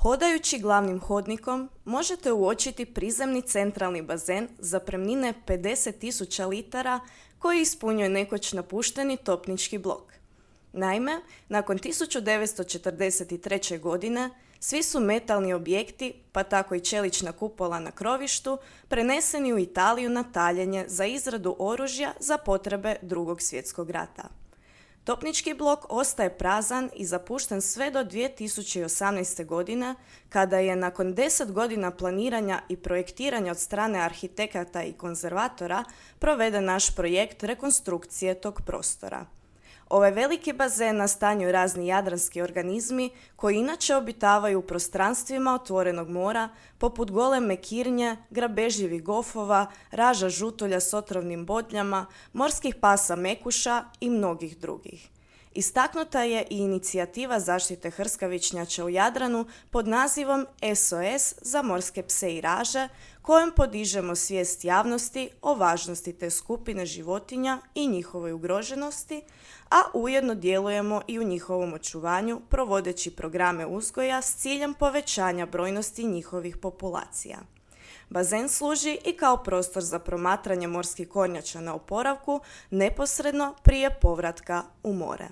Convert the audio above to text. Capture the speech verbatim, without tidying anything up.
Hodajući glavnim hodnikom možete uočiti prizemni centralni bazen zapremnine pedeset tisuća litara koji ispunjuje nekoć napušteni topnički blok. Naime, nakon tisuću devetsto četrdeset treće. godine svi su metalni objekti, pa tako i čelična kupola na krovištu, preneseni u Italiju na taljenje za izradu oružja za potrebe Drugog svjetskog rata. Topnički blok ostaje prazan i zapušten sve do dvije tisuće osamnaeste. godine, kada je nakon deset godina planiranja i projektiranja od strane arhitekata i konzervatora proveden naš projekt rekonstrukcije tog prostora. Ovaj veliki bazen nastanjuju razni jadranski organizmi koji inače obitavaju u prostranstvima otvorenog mora, poput goleme kirnje, grabežljivih gofova, raža žutulja s otrovnim bodljama, morskih pasa mekuša i mnogih drugih. Istaknuta je i inicijativa zaštite hrskavičnjača u Jadranu pod nazivom S O S za morske pse i raže, kojom podižemo svijest javnosti o važnosti te skupine životinja i njihovoj ugroženosti, a ujedno djelujemo i u njihovom očuvanju provodeći programe uzgoja s ciljem povećanja brojnosti njihovih populacija. Bazen služi i kao prostor za promatranje morskih kornjača na oporavku neposredno prije povratka u more.